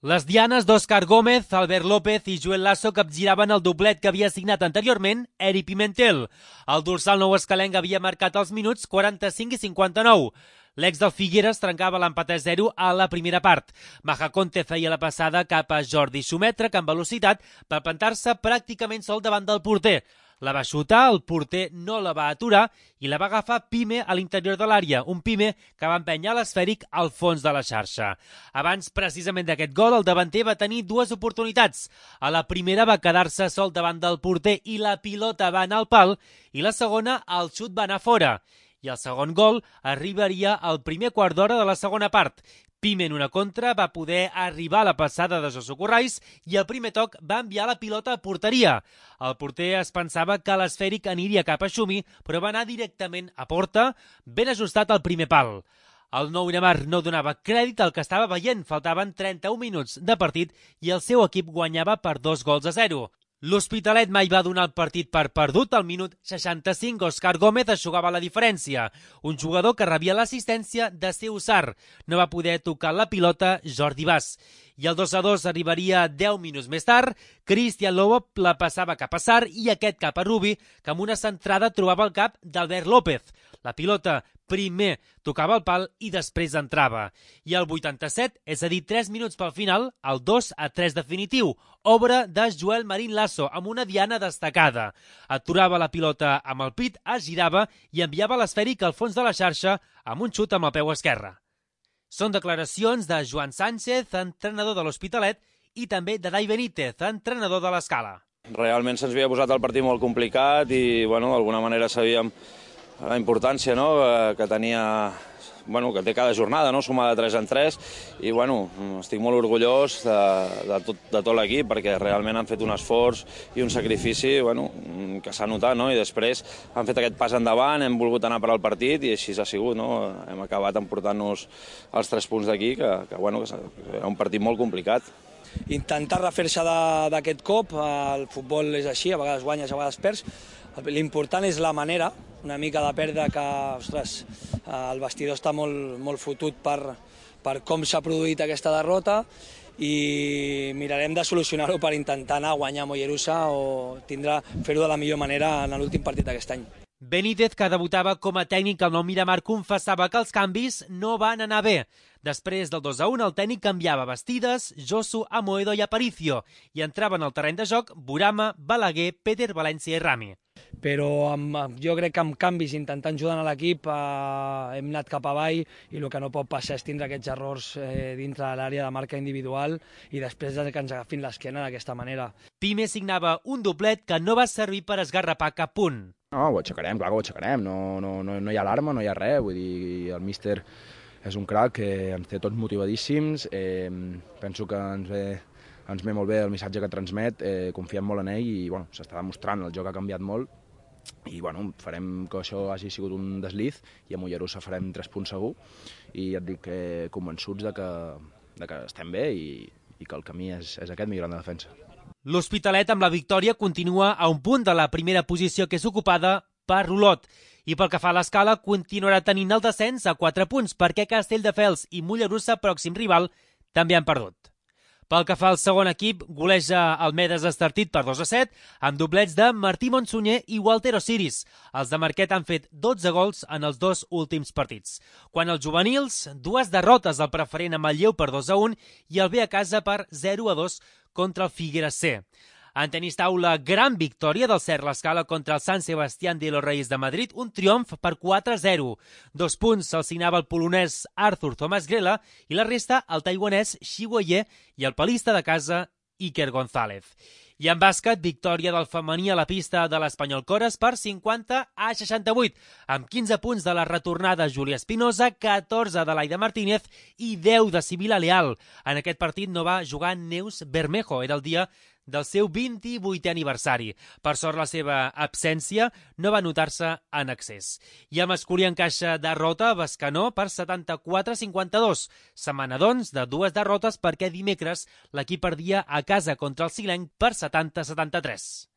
Les dianes d'Òscar Gómez, Albert López i Joel Lasso capgiraven el doblet que havia signat anteriorment Eri Pimentel. El dorsal nou escalenc havia marcat els minuts 45 i 59. L'ex del Figueres trencava l'empat a 0 a la primera part. Majaconte feia la passada cap a Jordi Sumètrec amb velocitat per plantar-se pràcticament sol davant del porter. La va xutar, el porter no la va aturar i la va agafar Pime a l'interior de l'àrea, un Pime que va empènyer l'esfèric al fons de la xarxa. Abans, precisament d'aquest gol, el davanter va tenir dues oportunitats. A la primera va quedar-se sol davant del porter i la pilota va anar al pal, i la segona, el xut va anar fora. I el segon gol arribaria al primer quart d'hora de la segona part. Pime en una contra va poder arribar a la passada de Josu Corrais i el primer toc va enviar la pilota a porteria. El porter es pensava que l'esfèric aniria cap a Xumi, però va anar directament a porta, ben ajustat al primer pal. El nou Neymar no donava crèdit al que estava veient, faltaven 31 minuts de partit i el seu equip guanyava per 2-0. L'Hospitalet mai va donar el partit per perdut. Al minut 65, Òscar Gómez eixugava la diferència. Un jugador que rebia l'assistència de Seusar. No va poder tocar la pilota Jordi Bas. I el 2-2 arribaria 10 minuts més tard. Cristian Lobo la passava cap a Sar i aquest cap a Rubi, que amb una centrada trobava el cap d'Albert López. La pilota primer tocava el pal i després entrava. I al 87, és a dir, 3 minuts pel final, el 2-3 definitiu, obra de Joel Marín Lasso, amb una diana destacada. Aturava la pilota amb el pit, es girava i enviava l'esfèric al fons de la xarxa amb un xut amb el peu esquerre. Són declaracions de Joan Sánchez, entrenador de l'Hospitalet, i també de Dai Benítez, entrenador de l'Escala. Realment se'ns havia posat el partit molt complicat i d'alguna manera sabíem la importància que tenia, que té cada jornada, sumar de 3 en 3, i estic molt orgullós de tot l'equip perquè realment han fet un esforç i un sacrifici que s'ha notat, i després han fet aquest pas endavant, hem volgut anar per al partit i així ha sigut, hem acabat emportant-nos els 3 punts d'aquí, que era un partit molt complicat. Intentar refer-se d'aquest cop, el futbol és així, a vegades guanyes, a vegades perds. L'important és la manera, una mica de perdre que, el vestidor està molt fotut per com s'ha produït aquesta derrota i mirarem de solucionar-ho per intentar anar a guanyar a Mollerussa o fer-ho de la millor manera en l'últim partit d'aquest any. Benítez, que debutava com a tècnic al Nou Miramar, confessava que els canvis no van anar bé. Després del 2-1, el tècnic canviava Bastidas, Josu, Amoedo i Aparicio i entraven al terreny de joc Burama, Balaguer, Peter, València i Rami. Però jo crec que amb canvis, intentant ajudar a l'equip, hem anat cap avall i el que no pot passar és tindre aquests errors dintre de l'àrea de marca individual i després que ens agafin l'esquena d'aquesta manera. Pime signava un doblet que no va servir per esgarrapar cap punt. No, ho aixecarem, clar que ho aixecarem, no hi ha alarma, no hi ha res, vull dir, el míster és un crac que ens té tots motivadíssims, penso que ens ve molt bé el missatge que transmet, confiem molt en ell i s'està demostrant, el joc ha canviat molt i farem que això hagi sigut un desliz i a Mollerussa farem 3 punts segur i ja et dic convençuts de que estem bé i que el camí és aquest, millorant de defensa. L'Hospitalet amb la victòria continua a un punt de la primera posició que és ocupada per Olot. I pel que fa a l'Escala, continuarà tenint el descens a 4 punts perquè Castelldefels i Mollerussa, pròxim rival, també han perdut. Pel que fa al segon equip, goleja el Medes Estartit per 2-7, amb doblets de Martí Montsunyer i Walter Osiris. Els de Marquet han fet 12 gols en els 2 últims partits. Quan els juvenils, 2 derrotes al preferent amb el Lleu per 2-1 i el B a casa per 0-2 contra el Figueres C. En tenis taula, gran victòria del Cert l'Escala contra el San Sebastián de los Reyes de Madrid, un triomf per 4-0. 2 punts se'ls signava el polonès Arthur Thomas Grela i la resta el taiwanès Xi Weie i el palista de casa Iker González. I en bàsquet, victòria del femení a la pista de l'Espanyol Cores per 50-68, amb 15 punts de la retornada Júlia Espinosa, 14 de l'Aida Martínez i 10 de Sibila Leal. En aquest partit no va jugar Neus Bermejo, era el dia del seu 28è aniversari. Per sort, la seva absència no va notar-se en excés. I a masculí encaixa derrota a Bescanó per 74-52. Setmana, doncs, de 2 derrotes perquè dimecres l'equip perdia a casa contra el Silenc per 70-73.